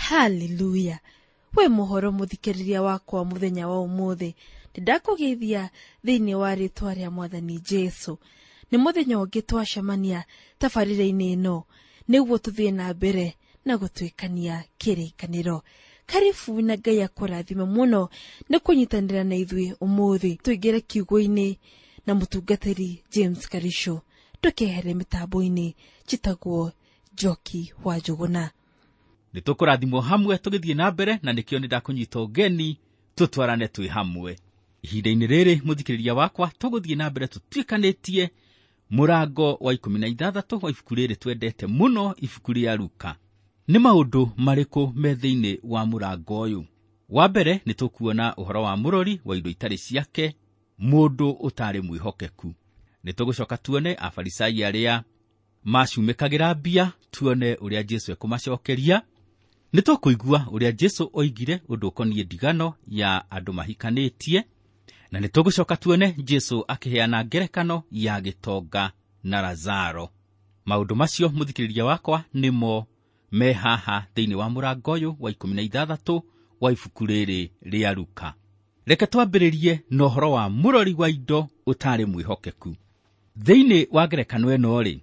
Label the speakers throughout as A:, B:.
A: Haleluya! We muhoro muthikiriria wakwa muthenya wa umuthi, ndakũgeithia thĩinĩ wa rĩtwa rĩa Mwathani Jesu. Nĩ mũthenya ũngĩ twacemania tabarĩra-inĩ ĩno nĩguo tũthiĩ na mbere na gũtuĩkania kĩrĩkanĩro. Karibu na Ngai akũrathime mũno nĩ kũnyitanĩra na ithuĩ ũmũthĩ. Tũingĩre kiugo-inĩ na mũtungatĩri James Karisho. Ndũkehere mĩtambo-inĩ, njĩtagwo Njoki wa Njũgũna.
B: Nĩ tũkũrathimwo hamwe tũgĩthiĩ na mbere, na nĩkĩo nĩ ndakũnyita ũgeni tũtwarane twĩ hamwe. Ihinda-inĩ rĩrĩ mũthikĩrĩria wakwa, tũgũthiĩ na mbere tũtuĩkanĩtie mũrango wa 16 wa ibuku rĩrĩ twendete mũno, ibuku rĩa Luka. Nĩ maũndũ marĩkũ me thĩinĩ wa mũrango ũyũ? Wa mbere nĩ tũkuona ũhoro wa mũrori wa indo itarĩ ciake, mũndũ ũtarĩ mwĩhokeku. Nĩ tũgũcoka tuone Afarisai arĩa macumĩkagĩra mbia, tuone ũrĩa Jesu ekũmacokeria. Nĩ tũkũigua ũrĩa Jesu oigire ũndũ ũkoniĩ ndigano ya andũ mahikanĩtie, na nĩ tũgũcoka tuone Jesu akĩheana ngerekano ya gĩtonga na Lazaro. Maũndũ macio mũthikĩrĩria wakwa nĩmo me haha thĩinĩ wa mũrango ũyũ wa 16 wa ibuku rĩrĩ rĩa Luka. Reke twambĩrĩrie na ũhoro wa mũrori wa indo ũtarĩ mwĩhokeku. Thĩinĩ wa ngerekano ĩno-rĩ,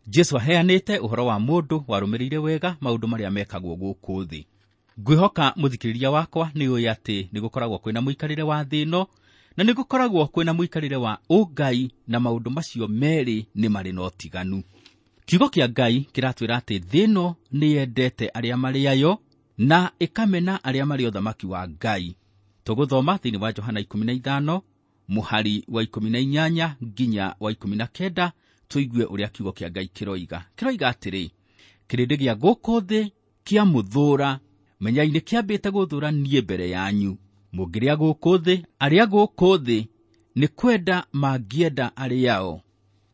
B: Jesu aheanĩte ũhoro wa mũndũ warũmĩrĩire wega maũndũ marĩa mekagwo gũkũ thĩ. Ngwĩhoka mũthikĩrĩria wakwa nĩ ũĩ atĩ nĩ gũkoragwo kwĩna mũikarĩre wa thĩ ĩno, na nĩ gũkoragwo kwĩna mũikarĩre wa ũngai, na maũndũ macio merĩ nĩ marĩ na ũtiganu. Kiugo kĩa Ngai kĩratwĩra atĩ thĩ ĩno nĩ yendete arĩa marĩ ayo na ĩkamena arĩa marĩ ũthamaki wa Ngai. Tũgũthoma thĩinĩ wa Johana 15 mũhari wa 18 nginya wa 19, tũigue ũrĩa kiugo kĩa Ngai kĩroiga. Kĩroiga atĩrĩ, kĩrĩndĩ gĩa gũkũ thĩ kĩamũthũũra, menyai nĩ kĩambĩte gũthũũra niĩ mbere yanyu. Mũngĩrĩa gũkũ thĩ, arĩa gũkũ thĩ nĩ kwenda mangĩenda arĩao,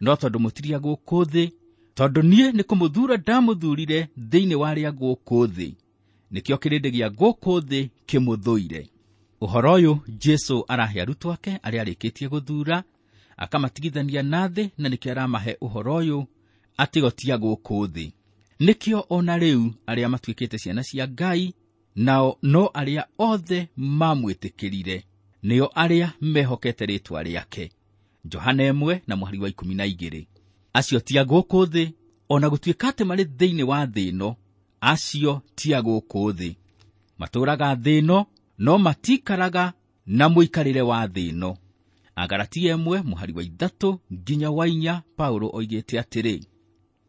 B: no tondũ mũtirĩa gũkũ thĩ, tondũ niĩ nĩ kũmũthuura ndamũthuurire thĩinĩ wa arĩa gũkũ thĩ, nĩkĩo kĩrĩndĩ gĩa gũkũ thĩ kĩmũthũire. Ũhoro ũyũ Jesu arahe arutwo ake arĩa arĩkĩtie gũthuura, akamatigithania na thĩ, na nĩkĩo aramahe ũhoro ũyũ atĩ o ti a gũkũ thĩ. Nĩkĩo ona rĩu arĩa matuĩkĩte ciana cia Ngai, nao no arĩa othe mamwĩtĩkĩrire, nĩo arĩa mehokete rĩĩtwa rĩake. Johana 1 na mũhari wa 12. Acio ti a gũkũ thĩ, ona gũtuĩka atĩ marĩ thĩinĩ wa thĩ ĩno, acio ti a gũkũ thĩ. Matũũraga thĩ ĩno, no matikaraga na mũikarĩre wa thĩ ĩno. Agalatia 1 mũhari wa 3 nginya wa 4, Paulo oigĩte atĩrĩ,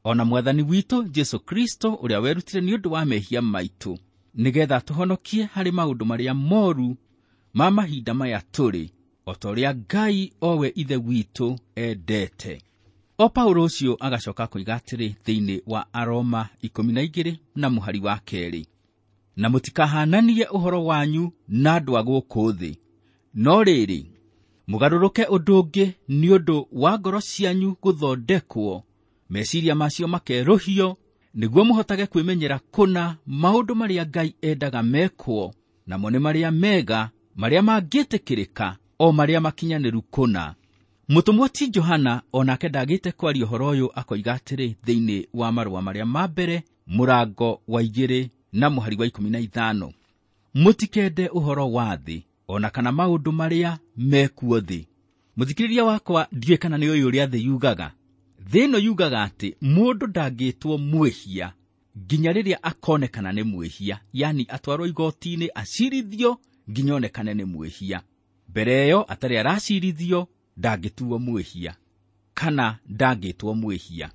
B: ona Mwathani witũ Jesu Kristo ũrĩa werutire nĩ ũndũ wa mehia maitũ, nĩgetha tũhonokie harĩ maũndũ marĩa moru ma mahinda maya tũrĩ, o ta ũrĩa Ngai owe Ithe witũ endete. O Paulo ũcio agacoka koiga atĩrĩ thĩinĩ wa Aroma 12 na mũhari wa 2, na mũtikahananie ũhoro wanyu na andũ a gũkũ thĩ, no rĩrĩ mũgarũrũke ũndũ ũngĩ nĩ ũndũ wa ngoro cianyu gũthondekwo, meciria macio makerũhio, nĩguo mũhotage kwĩmenyera kũna maũndũ marĩa Ngai endaga mekwo, namo nĩ marĩa mega, marĩa mangĩtĩkĩrĩka, o marĩa makinyanĩru kũna. Mũtũmwo ti Johana onake ndagĩte kwaria ũhoro ũyũ, akoiga atĩrĩ thĩinĩ wa marũa marĩa ma mbere mũrango wa 2 na mũhari wa 15, mũtikende ũhoro wa thĩ ona kana maũndũ marĩa mekuo thĩ. Mũthikĩrĩria wakwa, ndiũĩ kana nĩ ũĩ ũrĩa thĩ yugaga. Thĩ ĩno yugaga atĩ mũndũ ndangĩtwo mwĩhia nginya rĩrĩa akonekana nĩ mwĩhia, yani atwarwo igoti-inĩ acirithio nginya onekane nĩ mwĩhia. Mbere ĩyo atarĩ aracirithio ndangĩtuo mwĩhia kana ndangĩtwo mwĩhia.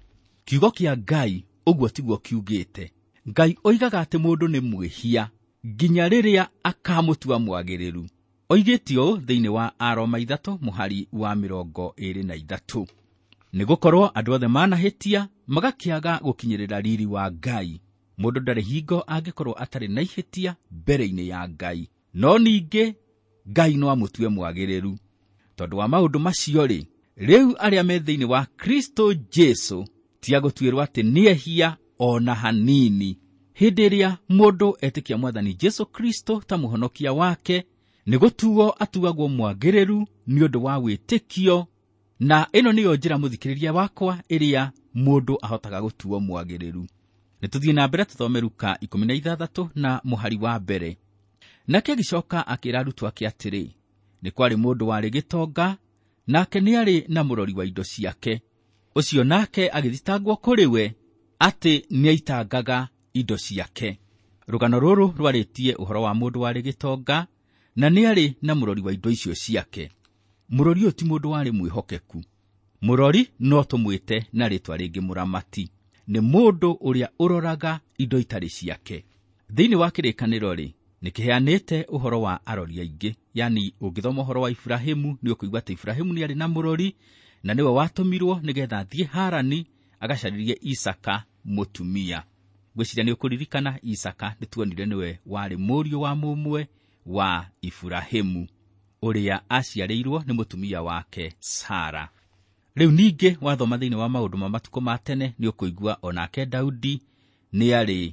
B: Kiugo kĩa Ngai ũguo tiguo kiugĩte. Ngai oigaga atĩ mũndũ nĩ mwĩhia nginya rĩrĩa akamũtua mwagĩrĩru. Oigĩte ũũ thĩinĩ wa Aroma 3 mũhari wa 23, nĩgũkorwo andũ othe manahĩtia magakĩaga gũkinyĩrĩra riri wa Ngai. Mũndũ ndarĩ hingo angĩkorwo atarĩ na ihĩtia mbere-inĩ ya Ngai, no ningĩ Ngai no amũtue mwagĩrĩru. Tondũ wa maũndũ macio-rĩ, rĩu arĩa me thĩinĩ wa Kristo Jesu ti a gũtuĩrwo atĩ nĩ ehia ona hanini. Hĩndĩ ĩrĩa mũndũ etĩkia Mwathani Jesu Kristo ta mũhonokia wake, nĩ gũtuo atuagwo mwagĩrĩru nĩ ũndũ wa wĩtĩkio, na ĩno nĩyo njĩra mũthikĩrĩria wakwa ĩrĩa mũndũ ahotaga gũtuo mwagĩrĩru. Nĩ tũthiĩ na mbere tũthome Luka 16 na mũhari wa mbere. Nake agĩcoka akĩra arutwo ake atĩrĩ, nĩ kwarĩ mũndũ warĩ gĩtonga, nake nĩarĩ na mũrori wa indo ciake. Ũcio nake agĩthitangwo kũrĩ we atĩ nĩaitangaga indo ciake. Rũgano rũrũ rwarĩtie ũhoro wa mũndũ warĩ gĩtonga na nĩarĩ na mũrori wa indo icio ciake. Mũrori ũyũ ti mũndũ warĩ mwĩhokeku. Mũrori no tũmwĩte na rĩtwa rĩngĩ mũramati. Nĩ mũndũ ũrĩa ũroraga indo itarĩ ciake. Thĩinĩ wa kĩrĩkanĩro rĩ, nĩkĩheanĩte ũhoro wa arori aingĩ. Yani ũngĩthoma ũhoro wa Ibrahimu nĩ ũkũigua atĩ Ibrahimu nĩarĩ na mũrori na nĩwe watũmirwo nĩgetha athiĩ Harani agacarĩrie Isaka mũtumia. Ngwĩciria nĩ ũkũririkana Isaka nĩtuonire nĩwe warĩ mũriũ wa mũmwe wa Ibrahimu ũrĩa aciarĩirwo nĩ mũtumia wake Sara. Rĩu ningĩ wathoma thĩinĩ wa maũndũ ma matukũ ma tene nĩ ũkũigua onake Daudi nĩarĩ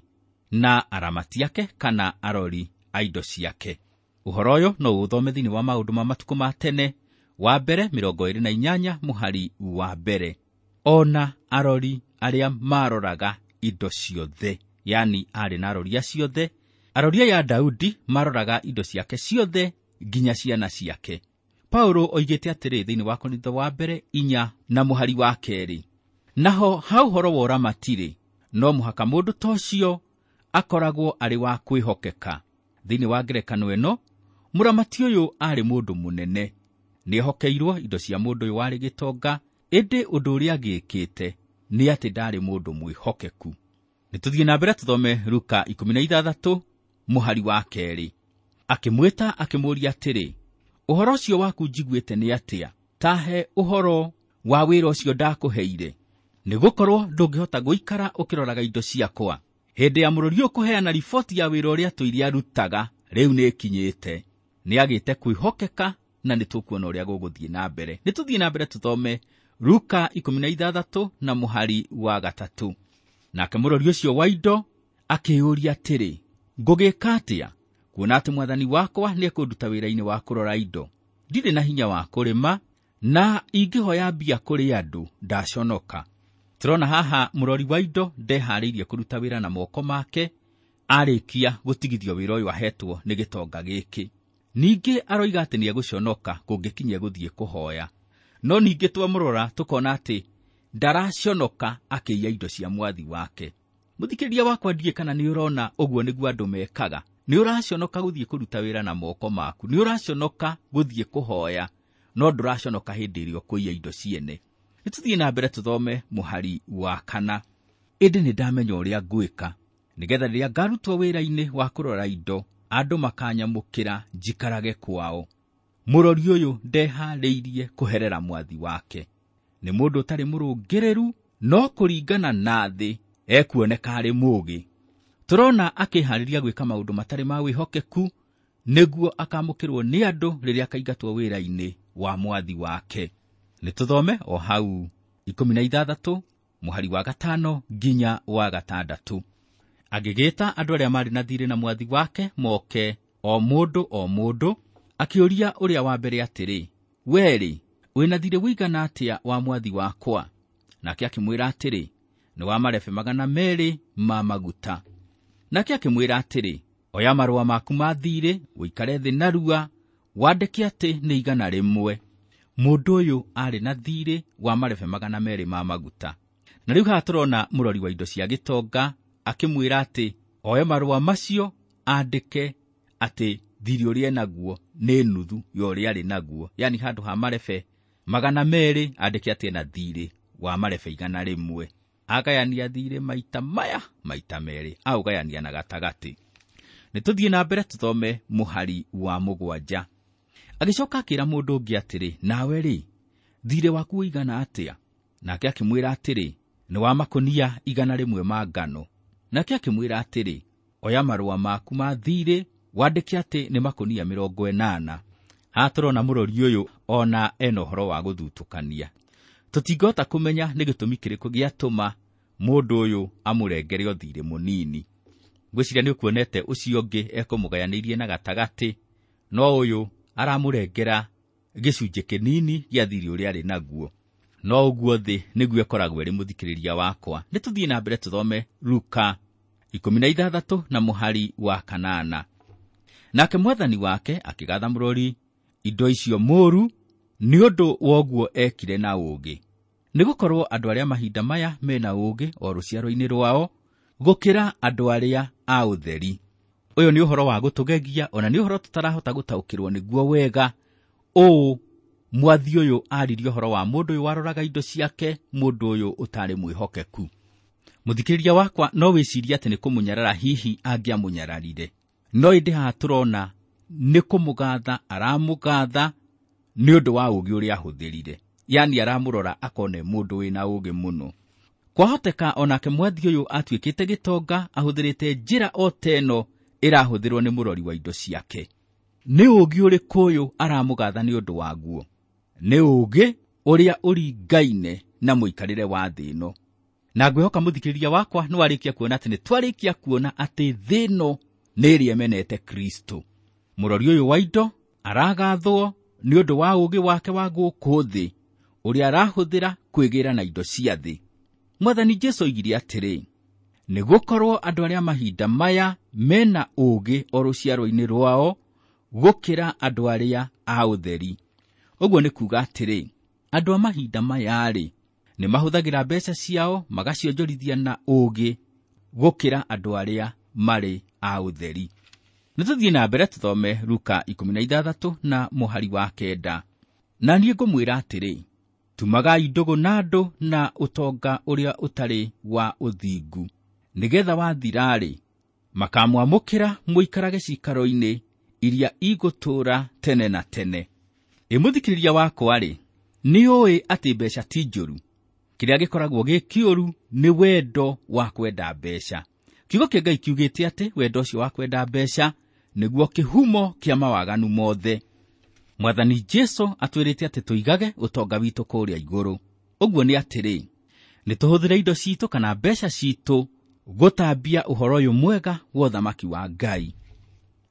B: na aramati ake kana arori a indo ciake. Ũhoro ũyũ no ũthome thĩinĩ wa maũndũ ma matukũ ma tene wa mbere 28 mũhari wa mbere. Ona arori arĩa maroraga indo ciothe, yani arĩ na arori ciothe. Arori aya Daudi maroraga indo ciake ciothe nginya ciana ciake. Paulo oigĩte atĩrĩ thĩinĩ wa Korintho wa mbere 4 na mũhari wa 2, naho ha ũhoro wa ũramati-rĩ, no mũhaka mũndũ ta ũcio akoragwo arĩ wa kwĩhokeka. Thĩinĩ wa ngerekano ĩno, mũramati ũyũ arĩ mũndũ mũnene. Nĩehokeirwo indo cia mũndũ ũyũ warĩ gĩtonga, ĩndĩ ũndũ ũrĩa agĩkĩte nĩ atĩ ndarĩ mũndũ mwĩhokeku. Nĩ tũthiĩ na mbere tũthome Luka 16 mũhari wa 2. Akĩmwĩta akĩmũũria atĩrĩ, ũhoro ũcio waku njiguĩte nĩ atĩa? Tahe ũhoro wa wĩra ũcio ndakũheire, nĩgũkorwo ndũngĩhota gũikara ũkĩroraga indo ciakwa. Hĩndĩ ya mũrori ũyũ kũheana riboti ya wĩra ũrĩa tũire arutaga rĩu nĩĩkinyĩte. Nĩagĩte kwĩhokeka na nĩtũkuona ũrĩa gũgũthiĩ na mbere. Nĩ tũthiĩ na mbere tũthome Luka 16 na mũhari wa 3. Nake mũrori ũcio wa indo akĩũria atĩrĩ, ngũgĩka atĩa kuona atĩ mwathani wakwa nĩekũnduta wĩra-inĩ wa kũrora indo? Ndirĩ na hinya wa kũrĩma, na ingĩhoya mbia kũrĩ andũ ndaconoka. Tũrona haha mũrori wa indo ndeharĩirie kũruta wĩra na moko make arĩkia gũtigithio wĩra ũyũ ahetwo nĩ gĩtonga gĩkĩ. Ningĩ aroiga atĩ nĩegũconoka kũngĩkinyia gũthiĩ kũhoya. No ningĩ twamũrora tũkona atĩ ndaraconoka akĩiya indo cia mwathi wake. Mũthikĩrĩria wakwa, ndiĩ kana nĩ ũrona ũguo nĩguo andũ mekaga. Nĩ ũraconoka gũthiĩ kũruta wĩra na moko maku, nĩ ũraconoka gũthiĩ kũhoya, no ndũraconoka hĩndĩ ĩrĩa ũkũiya indo ciene. Nĩ tũthiĩ na mbere tũthome mũhari wa 4. Ĩndĩ nĩ ndamenya ũrĩa ngwĩka, nĩgetha rĩrĩa ngarutwo wĩra-inĩ wa kũrora indo, andũ makanyamũkĩra njikarage kwao. Mũrori ũyũ ndeharĩirie kũherera mwathi wake. Nĩ mũndũ ũtarĩ mũrũngĩrĩru, no kũringana na thĩ ekuoneka arĩ mũũgĩ. Tũrona akĩharĩria gwĩka maũndũ matarĩ ma wĩhokeku nĩguo akamũkĩrwo nĩ andũ rĩrĩa akaingatwo wĩra-inĩ wa mwathi wake. Nĩ tũthome o hau 16 mũhari wa 5 nginya wa 6. Agĩgĩta andũ arĩa marĩ na thiirĩ na mwathi wake moke o mũndũ o mũndũ, akĩũria ũrĩa wa mbere atĩrĩ, we-rĩ, wĩna thiirĩ ũigana atĩa wa mwathi wakwa? Nake akĩmwĩra atĩrĩ, nĩ wa marebe 200 ma maguta. Nake akĩmwĩra atĩrĩ, oya marũa maku ma thiirĩ, ũikare thĩ narua, wandĩke atĩ nĩ 100. Mũndũ ũyũ arĩ na thiirĩ wa marebe 200 ma maguta. Na rĩu haha tũrona mũrori wa indo cia gĩtonga akĩmwĩra atĩ oe marũa macio andĩke atĩ thiirĩ ũrĩa enaguo nĩ nuthu ya ũrĩa arĩ naguo, yani handũ ha marebe 200 andĩke atĩ ena thiirĩ wa marebe 100. Agayania thiirĩ maita maya maita merĩ, aũgayania na gatagatĩ. Nĩ tũthiĩ na mbere tũthome mũhari wa 7. Agĩcoka akĩra mũndũ ũngĩ atĩrĩ, nawe rĩ, thiirĩ waku ũigana atĩa? Nake akĩmwĩra atĩrĩ, nĩ wa makũnia 100 ma ngano. Nake akĩmwĩra atĩrĩ, oya marũa maku ma thiirĩ, wandĩke atĩ nĩ makũnia 80. Haha tũrona mũrori ũyũ ona ena ũhoro wa gũthutũkania. Tũtingĩhota kũmenya nĩ gĩtũmi kĩrĩkũ gĩatũma mũndũ ũyũ amũrengere ũthirĩ mũnini. Ngwĩciria nĩ ũkuonete ũcio ũngĩ ekũmũgayanĩirie na gatagatĩ, no ũyũ aramũrengera gĩcunjĩ kĩnini gĩa thirĩ ũrĩa arĩ naguo. No ũguo thĩ nĩguo ĩkoragwo ĩrĩ mũthikĩrĩria wakwa. Nĩ tũthiĩ na mbere tũthome Luka 16 na mũhari wa 8. Nake mwathani wake akĩgatha mũrori indo icio mũũru nĩ ũndũ wa ũguo ekire na ũũgĩ. Nĩgũkorwo andũ arĩa mahinda maya mena ũũgĩ o rũciaro-inĩ rwao gũkĩra andũ arĩa a ũtheri. Ũyũ nĩ ũhoro wa gũtũgegia, ona nĩ ũhoro tũtarahota gũtaũkĩrwo nĩguo wega. Ũũ mwathi ũyũ aririe ũhoro wa mũndũ ũyũ waroraga indo ciake, mũndũ ũyũ ũtarĩ mwĩhokeku. Mũthikĩrĩria wakwa, no wĩcirie atĩ nĩ kũmũnyarara hihi angĩamũnyararire, no ĩndĩ haha tũrona nĩ kũmũgatha aramũgatha nĩ ũndũ wa ũũgĩ ũrĩa ahũthĩrire. Yani aramũrora akone mũndũ wĩna ũũgĩ mũno. Kwahoteka onake mwathi ũyũ atuĩkĩte gĩtonga ahũthĩrĩte njĩra o ta ĩno ĩrahũthĩrwo nĩ mũrori wa indo ciake. Nĩ ũũgĩ ũrĩkũ ũyũ aramũgatha nĩ ũndũ waguo? Nĩ ũũgĩ ũrĩa ũringaine na mũikarĩre wa thĩ ĩno. Na ngwĩhoka mũthikĩrĩria wakwa nĩ warĩkia kuona atĩ nĩ twarĩkia kuona atĩ thĩ ĩno nĩ ĩrĩa ĩmenete Kristo. Mũrori ũyũ wa indo aragathwo nĩ ũndũ wa ũũgĩ wake wa gũkũ thĩ ũrĩa arahũthĩra kwĩgĩra na indo cia thĩ. Mwathani Jesũ oigire atĩrĩ, nĩgũkorwo andũ arĩa mahinda maya mena ũũgĩ o rũciaro-inĩ rwao gũkĩra andũ arĩa a ũtheri. Ũguo nĩ kuuga atĩrĩ, andũ a mahinda maya-rĩ nĩ mahũthagĩra mbeca ciao magacionjorithia na ũũgĩ gũkĩra andũ arĩa marĩ a ũtheri. Nĩ tũthiĩ na mbere tũthome Luka 16 na mũhari wa 9. Na niĩ ngũmwĩra atĩrĩ, tumagai ndũgũ na andũ na ũtonga ũrĩa ũtarĩ wa ũthingu, nĩgetha wathira-rĩ makamwamũkĩra mũikarage ciikaro-inĩ iria igũtũũra tene na tene. Ĩ mũthikĩrĩria wakwa-rĩ, nĩ ũĩ atĩ mbeca ti njũru. Kĩrĩa gĩkoragwo gĩ kĩũru nĩ wendo wa kwenda mbeca. Kiugo kĩa Ngai kiugĩte atĩ wendo ũcio wa kwenda mbeca nĩguo kĩhumo kĩa mawaganu mothe. Mwathani Jesũ atwĩrĩte atĩ tũigage ũtonga witũ kũrĩa igũrũ. Ũguo nĩ atĩrĩ, nĩ tũhũthĩre indo citũ kana mbeca citũ gũtambia ũhoro ũyũ mwega wa ũthamaki wa Ngai.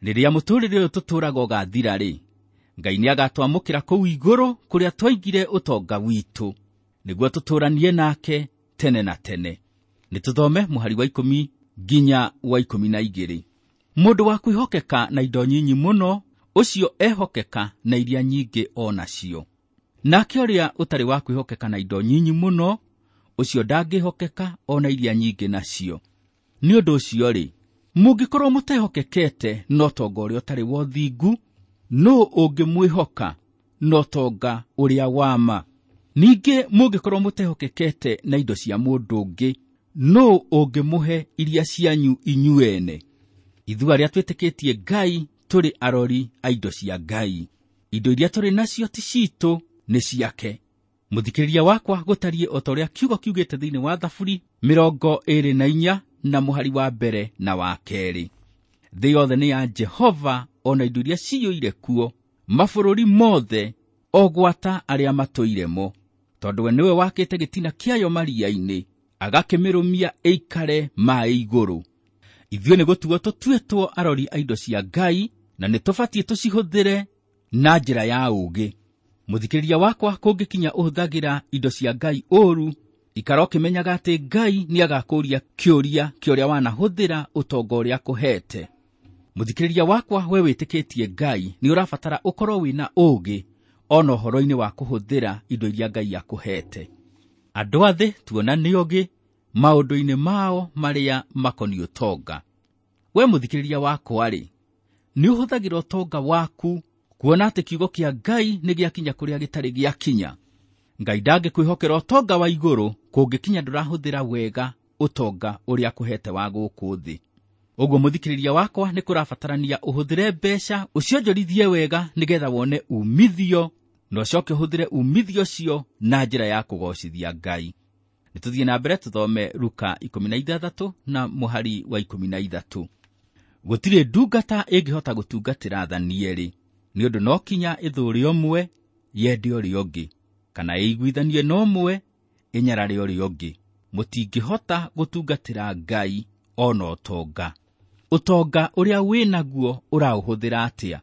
B: Rĩrĩa mũtũũrĩre ũyũ tũtũũraga ũgathira-rĩ, Ngai nĩagatwamũkĩra kũu igũrũ kũrĩa twaigire ũtonga witũ, nĩguo tũtũũranie nake tene na tene. Nĩ tũthome mũhari wa 10 nginya wa 12. Mũndũ wa kwĩhokeka na indo nyinyi mũno, ũcio ehokeka na iria nyingĩ o nacio. Nake ũrĩa ũtarĩ wa kwĩhokeka na indo nyinyi mũno, ũcio ndangĩhokeka o na iria nyingĩ nacio. Nĩ ũndũ ũcio-rĩ, mũngĩkorwo mũtehokekete na ũtonga ũrĩa ũtarĩ wa ũthingu, nũũ ũngĩmwĩhoka na ũtonga ũrĩa wa ma? Ningĩ mũngĩkorwo mũtehokekete na indo cia mũndũ ũngĩ, nũũ ũngĩmũhe iria cianyu inyuene? Ithuĩ arĩa twĩtĩkĩtie Ngai tũrĩ arori a indo cia Ngai. Indo iria tũrĩ nacio ti citũ, nĩ ciake. Mũthikĩrĩria wakwa, gũtariĩ o ta ũrĩa kiugo kiugĩte thĩinĩ wa Thaburi 24 na mũhari wa 1 na wa 2. Thĩ yothe nĩ ya Jehova, ona indo iria ciyũire kuo, mabũrũri mothe, o gwata arĩa matũire mo. Tondũ we nĩwe wakĩte gĩtina kĩayo maria-inĩ, agakĩmĩrũmia ĩikare maĩ igũrũ. Ithuĩ nĩ gũtuo tũtuĩtwo arori a indo cia Ngai, na nĩ tũbatiĩ tũcihũthĩre na njĩra ya ũũgĩ. Mũthikĩrĩria wakwa, kũngĩkinya ũhũthagĩra indo cia Ngai ũũru, ikara ũkĩmenyaga atĩ Ngai nĩagakũũria kĩũria kĩa ũrĩa wanahũthĩra ũtonga ũrĩa akũhete. Mũthikĩrĩria wakwa, we wĩtĩkĩtie Ngai, nĩ ũrabatara ũkorwo wĩna ũũgĩ ona ũhoro-inĩ wa kũhũthĩra indo iria Ngai akũhete. Andũ a thĩ tuona nĩ ogĩ maũndũ-inĩ mao marĩa makoniĩ ũtonga. We mũthikĩrĩria wakwa-rĩ, nĩ ũhũthagĩra ũtonga waku kuona atĩ kiugo kĩa Ngai nĩ gĩakinya kũrĩa gĩtarĩ gĩakinya. Ngai ndangĩkwĩhokera ũtonga wa igũrũ kũngĩkinya ndũrahũthĩra wega ũtonga ũrĩa akũhete wa gũkũ thĩ. Ũguo mũthikĩrĩria wakwa, nĩ kũrabatarania ũhũthĩre mbeca ũcionjorithie wega nĩgetha wone umithio, na ũcoke ũhũthĩre umithio ũcio na njĩra ya kũgocithia Ngai. Nĩ tũthiĩ na mbere tũthome Luka 16 na mũhari wa 13. Gũtirĩ ndungata ĩngĩhota gũtungatĩra athani erĩ, nĩ ũndũ no kinya ĩthũũre ũmwe yende ũrĩa ũngĩ, kana ĩiguithanie na ũmwe ĩnyarare ũrĩa ũngĩ. Mũtingĩhota gũtungatĩra Ngai ona ũtonga. Ũtonga ũrĩa wĩnaguo ũraũhũthĩra atĩa?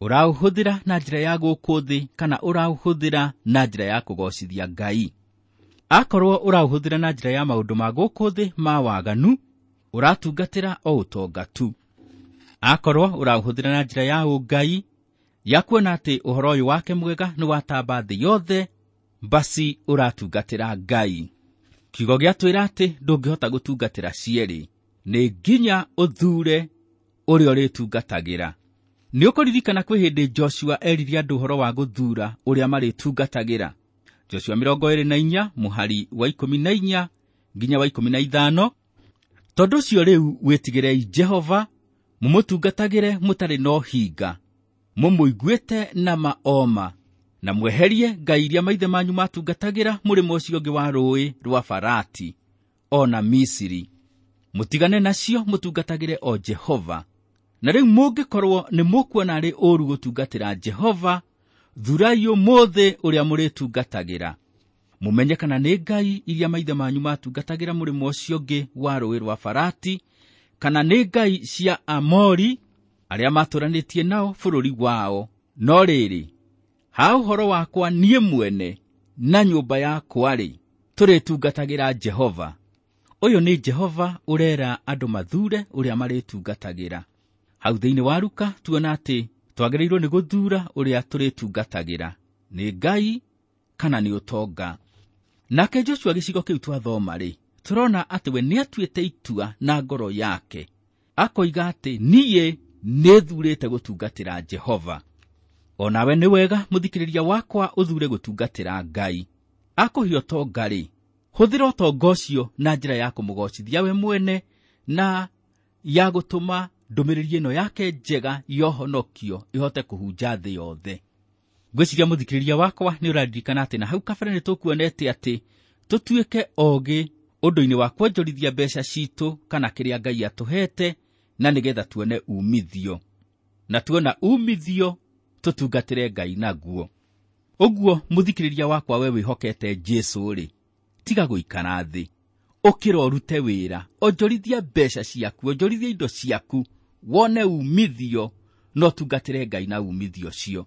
B: Ũraũhũthĩra na njĩra ya gũkũ thĩ kana ũraũhũthĩra na njĩra ya kũgocithia Ngai? Akorwo ũraũhũthĩra na njĩra ya maũndũ ma gũkũ thĩ ma waganu, ũratungatĩra o ũtonga tu. Akorwo ũraũhũthĩra na njĩra ya ũngai, ya kuona atĩ ũhoro ũyũ wake mwega nĩ watamba thĩ yothe, basi ũratungatĩra Ngai. Kiugo gĩatwĩra atĩ ndũngĩhota gũtungatĩra cierĩ, nĩ nginya ũthure ũrĩa ũrĩtungatagĩra. Nĩ ũkũririkana kwĩ hĩndĩ Joshua erire andũ ũhoro wa gũthuura ũrĩa marĩtungatagĩra. Joshua 24 mũhari wa 14 nginya wa 15. Tondũ ũcio rĩu wĩtigĩrei Jehova, mũmũtungatagĩre mũtarĩ na ũhinga, mũmũiguĩte na maoma, na mweherie ngai iria maithe manyu matungatagĩra mũrĩmo ũcio ũngĩ wa rũũĩ rwa Farati, o na Misiri. Mũtigane nacio, mũtungatagĩre o Jehova. Na rĩu mũngĩkorwo nĩ mũkuona arĩ ũũru gũtungatĩra Jehova, thurai ũmũthĩ ũrĩa mũrĩtungatagĩra. Mũmenye kana nĩ ngai iria maithe manyu matungatagĩra mũrĩmo ũcio ũngĩ wa rũũĩ rwa Farati, kana nĩ ngai cia Amori arĩa matũranĩtie nao bũrũri wao. No rĩrĩ, ha ũhoro wakwa niĩ mwene na nyũmba yakwa-rĩ, tũrĩtungatagĩra Jehova. Ũyũ nĩ Jehova ũrera andũ mathure ũrĩa marĩtungatagĩra. Hau thĩinĩ wa Luka tuona atĩ twagĩrĩirwo nĩ gũthuura ũrĩa tũrĩtungatagĩra, nĩ Ngai kana nĩ ũtonga. Nake Joshua gĩcigo kĩu twathoma-rĩ, tũrona atĩ we nĩatuĩte itua na ngoro yake, akoiga atĩ niĩ nĩthurĩte gũtungatĩra Jehova. O nawe nĩ wega mũthikĩrĩria wakwa ũthure gũtungatĩra Ngai. Akũhe ũtonga-rĩ, hũthĩra ũtonga ũcio na njĩra ya kũmũgocithia we mwene na ya gũtũma ndũmĩrĩri ĩno yake njega ya ũhonokio ĩhote kũhunja thĩ yothe. Ngwĩciria mũthikĩrĩria wakwa nĩ ũraririkana atĩ na hau kabere nĩ tũkuonete atĩ tũtuĩke ogĩ ũndũ-inĩ wa kwonjorithia mbeca citũ kana kĩrĩa Ngai atũhete, na nĩgetha tuone umithio. Na tuona umithio tũtungatĩre Ngai naguo. Ũguo mũthikĩrĩria wakwa we wĩhokete Jesũ-rĩ, tiga gũikara thĩ, ũkĩra ũrute wĩra, onjorithia mbeca ciaku, onjorithia indo ciaku, wone umithio, no ũtungatĩre Ngai na umithio ũcio.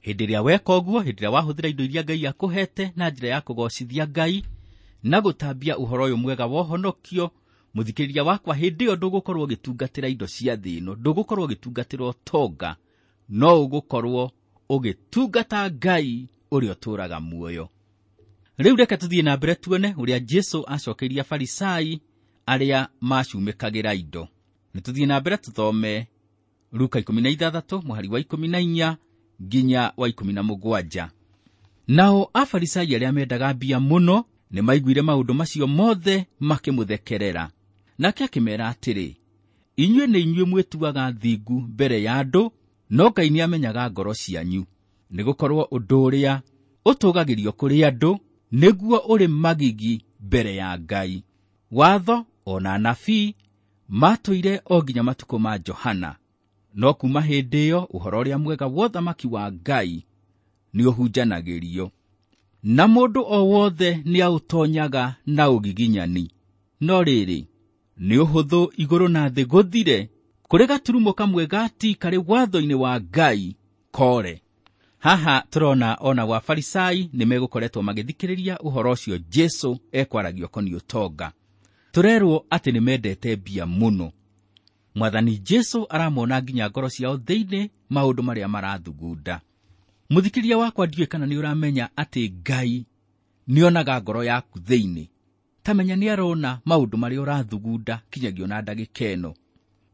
B: Hĩndĩ ĩrĩa weka ũguo, hĩndĩ ĩrĩa wahũthĩra indo iria Ngai akũhete na njĩra ya kũgocithia Ngai na gũtambia ũhoro ũyũ mwega wa ũhonokio, mũthikĩrĩria wakwa, hĩndĩ ĩyo ndũgũkorwo ũgĩtungatĩra indo cia thĩ ĩno, ndũgũkorwo ũgĩtungatĩra ũtonga, no ũgũkorwo ũgĩtungata Ngai ũrĩa ũtũũraga muoyo. Rĩu reke tũthiĩ na mbere tuone ũrĩa Jesũ acokeirie Afarisai arĩa macumĩkagĩra indo. Nĩ tũthiĩ na mbere tũthome Luka 16 mũhari wa 14 nginya wa 17. Nao Afarisai arĩa mendaga mbia mũno nĩ maiguire maũndũ macio mothe makĩmũthekerera. Nake akĩmeera atĩrĩ, inyuĩ nĩ inyuĩ mwĩtuaga thingu mbere ya andũ, no Ngai nĩamenyaga ngoro cianyu. Nĩgũkorwo ũndũ ũrĩa ũtũũgagĩrio kũrĩ andũ nĩguo ũrĩ magigi mbere ya Ngai. Watho ona anabii matũire o nginya matukũ ma Johana, no kuma hĩndĩ ĩyo ũhoro ũrĩa mwega wa ũthamaki wa Ngai nĩũhunjanagĩrio, na mũndũ o wothe nĩaũtonyaga na ũgiginyani. No rĩrĩ, nĩ ũhũthũ igũrũ na thĩ gũthire kũrĩ gaturumo kamwe ga ti karĩ watho-inĩ wa Ngai kore. Haha tũrona ona wa Farisai nĩ megũkoretwo magĩthikĩrĩria ũhoro ũcio Jesũ ekwaragia ũkoniĩ ũtonga. Tũrerwo atĩ nĩ mendete mbia mũno. Mwathani Jesũ aramona nginya ngoro ciao thĩinĩ maũndũ marĩa marathugunda. Mũthikĩrĩria wakwa, ndiũĩ kana nĩ ũramenya atĩ Ngai nĩonaga ngoro yaku thĩinĩ. Ta menya nĩ arona maũndũ marĩa ũrathugunda kinyagia ona ndagĩka ĩno.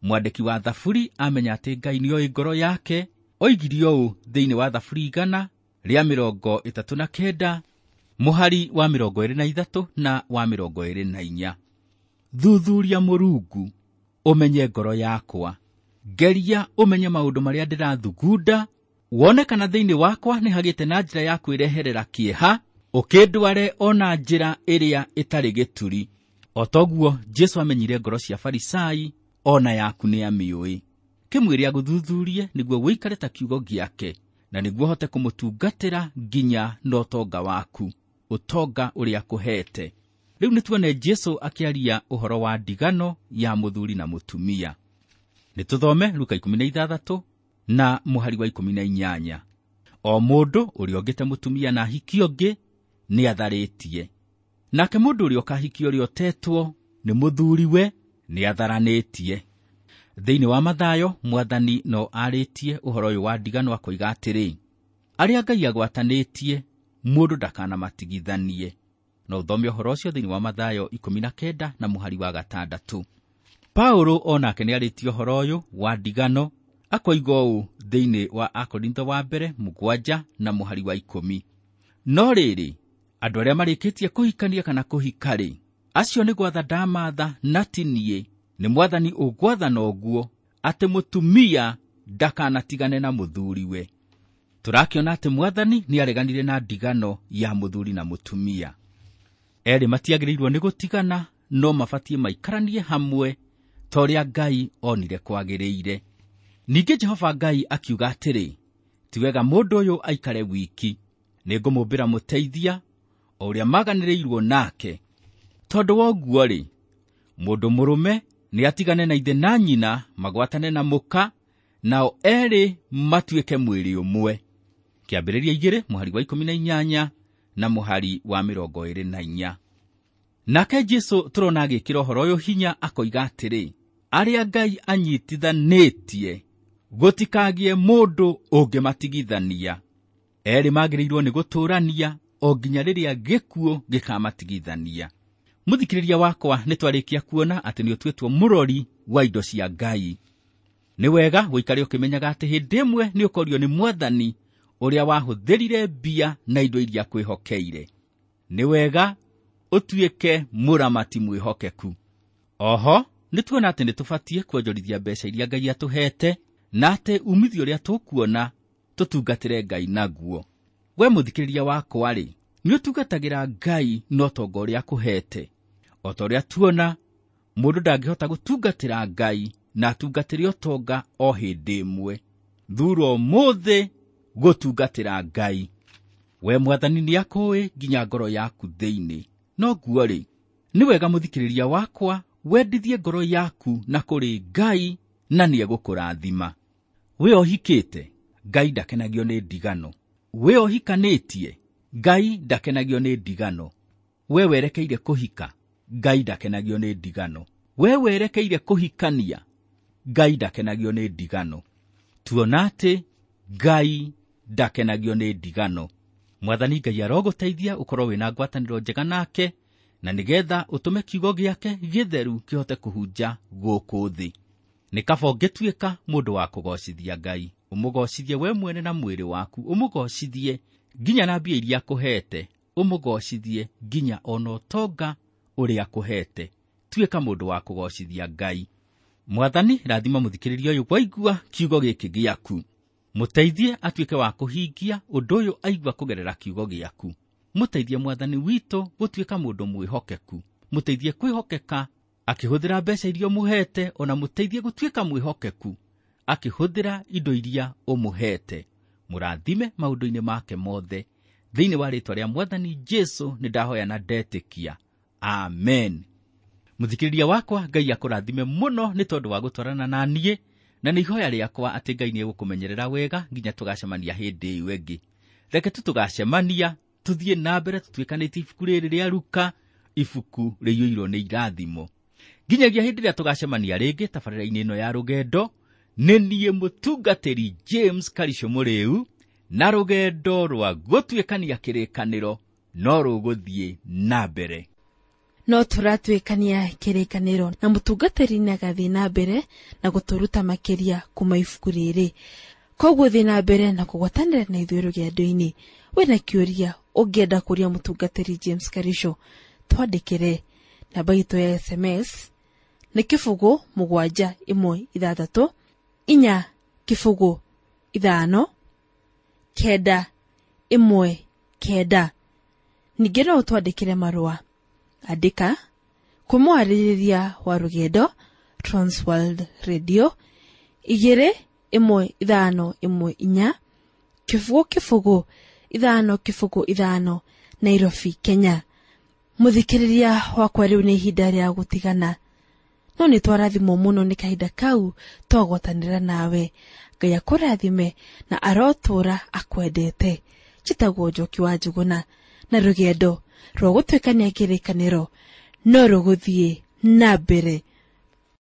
B: Mwandĩki wa Thaburi amenya atĩ Ngai nĩoĩ ngoro yake, oigire ũũ thĩinĩ wa Thaburi 139 mũhari wa 23 na wa 24. Thuthuria Mũrungu, ũmenye ngoro yakwa, ngeria ũmenye maũndũ marĩa ndĩrathugunda, wone kana thĩinĩ wakwa nĩ hagĩte na njĩra ya kwĩreherera kĩeha, ũkĩndware ona njĩra ĩrĩa ĩtarĩ gĩturi. O toguo Jesũ amenyire ngoro cia Farisai, ona yaku nĩamĩũĩ. Kĩmwĩre agũthuthurie nĩguo wĩikare ta kiugo gĩake, na nĩguo ũhote kũmũtungatĩra nginya na ũtonga waku, ũtonga ũrĩa akũhete. Rĩu nĩ tuone Jesũ akĩaria ũhoro wa ndigano ya mũthuri na mũtumia. Nĩ tũthome Luka 16 na mũhari wa 18. O mũndũ ũrĩa ũngĩte mũtumia na ahiki ũngĩ nĩatharĩtie, Nake mũndũ ũrĩa ũkahikia ũrĩa ũtetwo nĩ mũthuriwe nĩatharanĩtie. Thĩinĩ wa Mathayo mwathani no arĩtie ũhoro ũyũ wa ndigano akoiga atĩrĩ, arĩa Ngai agwatanĩtie mũndũ ndakanamatigithanie. No ũthome ũhoro ũcio thĩinĩ wa Mathayo 19 na mũhari wa 6. Paulo onake nĩarĩtie ũhoro ũyũ wa ndigano akoiga ũũ thĩinĩ wa Akorintho wa mbere 7 na mũhari wa 10. No rĩrĩ, andũ arĩa marĩkĩtie kũhikania kana kũhika-rĩ, acio nĩ gwatha ndamatha na ti niĩ, nĩ mwathani ũgwathana ũguo atĩ mũtumia ndakanatigane na mũthuriwe. Tũrakĩona atĩ mwathani nĩareganire na ndigano ya mũthuri na mũtumia. Erĩ matiagĩrĩirwo nĩ gũtigana, no mabatiĩ maikaranie hamwe ta ũrĩa Ngai onire kwagĩrĩire. Ningĩ Jehova Ngai akiuga atĩrĩ, ti wega mũndũ ũyũ aikare wiki, nĩngũmũmbĩra mũteithia o ũrĩa maganĩrĩirwo nake. Tondũ wa ũguo-rĩ, mũndũ mũrũme nĩatigane na ithe na nyina, magwatane na mũka, nao erĩ matuĩke mwĩrĩ ũmwe. Kĩambĩrĩria 2 mũhari wa 18 na mũhari wa 24. Nake Jesũ tũrona agĩkĩra ũhoro ũyũ hinya akoiga atĩrĩ, arĩa Ngai anyitithanĩtie gũtikagĩe mũndũ ũngĩmatigithania. Erĩ magĩrĩirwo nĩ gũtũũrania o nginya rĩrĩa gĩkuũ gĩkamatigithania. Mũthikĩrĩria wakwa, nĩtwarĩkia kuona atĩ nĩũtuĩtwo mũrori wa indo cia Ngai. Nĩ wega gũikare ũkĩmenyaga atĩ hĩndĩ ĩmwe nĩũkorio nĩ mwathani ũrĩa wahũthĩrire mbia na indo iria kwĩhokeire. Nĩ wega ũtuĩke mũramati mwĩhokeku. Oho nĩtuona atĩ nĩtũbatiĩ kuonjorithia mbeca iria Ngai atũhete, na atĩ umithio ũrĩa tũkuona tũtungatĩre Ngai naguo. We mũthikĩrĩria wakwa-rĩ, nĩũtungatagĩra Ngai na ũtonga ũrĩa akũhete. O ta ũrĩa tuona, mũndũ ndangĩhota gũtungatĩra Ngai na atungatĩre ũtonga o hĩndĩ ĩmwe. Thura ũmũthĩ gũtungatĩra Ngai. We mwathani nĩakũĩ nginya ngoro yaku thĩinĩ. No guo-rĩ, nĩ wega mũthikĩrĩria wakwa wendithie ngoro yaku na kũrĩ Ngai na nĩegũkũrathima. We ũhikĩte, Ngai ndakenagio nĩ ndigano. We ũhikanĩtie, Ngai ndakenagio nĩ ndigano. We werekeire kũhika, Ngai ndakenagio nĩ ndigano. We werekeire kũhikania, Ngai ndakenagio nĩ ndigano. Tuona atĩ Ngai ndakenagio nĩ ndigano. Mwathani Ngai arogũteithia ũkorwo wĩna ngwatanĩro njega nake, na nĩgetha ũtũme kiugo gĩake gĩtheru kĩhote kũhunja gũkũ thĩ. Nĩ kaba ũngĩtuĩka mũndũ wa kũgocithia Ngai, ũmũgocithie we mwene na mwĩrĩ waku, ũmũgocithie nginya na mbia iria akũhete, ũmũgocithie nginya ona ũtonga ũrĩa akũhete. Tuĩka mũndũ wa kũgocithia Ngai. Mwathani, rathima mũthikĩrĩria ũyũ waigua kiugo gĩkĩ gĩaku. Mũteithie atuĩke wa kũhingia ũndũ ũyũ aigua kũgerera kiugo gĩaku. Mũteithie mwathani witũ gũtuĩka mũndũ mwĩhokeku. Mũteithie kwĩhokeka akĩhũthĩra mbeca iria ũmũhete, ona mũteithie gũtuĩka mwĩhokeku akĩhũthĩra indo iria ũmũhete. Mũrathime maũndũ-inĩ make mothe. Thĩinĩ wa rĩĩtwa rĩa mwathani Jesũ nĩndahoya na ndetĩkia. Amen. Mũthikĩrĩria wakwa, Ngai akũrathime mũno nĩ tondũ wa gũtwarana na niĩ, na nĩ ihoya rĩakwa atĩ Ngai nĩegũkũmenyerera wega nginya tũgacemania hĩndĩ ĩyo ĩngĩ. Reke tu tũgacemania, tũthiĩ na mbere tũtuĩkanĩtie ibuku rĩrĩ rĩa Luka, ibuku rĩiyũirwo nĩ irathimo. Nginyagia hĩndĩ ĩrĩa tũgacemania rĩngĩ tabarĩra-inĩ ĩno ya rũgendo, nĩ niĩ mũtungatĩri James Karisho Mũrĩu, na rũgendo rwa gũtuĩkania kĩrĩkanĩro no rũgũthiĩ na mbere.
A: No tũratuĩkania kĩrĩkanĩro na mũtungatĩri nĩagathiĩ na mbere na gũtũruta makĩria kuma ibuku rĩrĩ. Koguo thiĩ na mbere na kũgwatanĩra na ithuĩ rũgendo-inĩ. Wĩna kĩũria ũngĩenda kũria mũtungatĩri James Karisho, twandĩkĩre. Namba itũ ya SMS nĩ 0 7 1 6 4 0 5 9 1 9. Ningĩ no ũtwandĩkĩre marũa. Andĩka kwĩ mwarĩrĩria wa rũgendo Transworld Radio 2 1 5 1 4 0 0 5 0 5 Nairobi, Kenya. Mũthikĩrĩria wakwa, rĩu nĩ ihinda rĩa gũtigana, no nĩ twarathimwo mũno nĩ kahinda kau twagwatanĩra nawe. Ngai akũrathime na arotũũra akwendete. Njĩtagwo Njoki wa Njũgũna, na rũgendo Rwa gũtuĩkania kĩrĩkanĩro no rũgũthiĩ na mbere.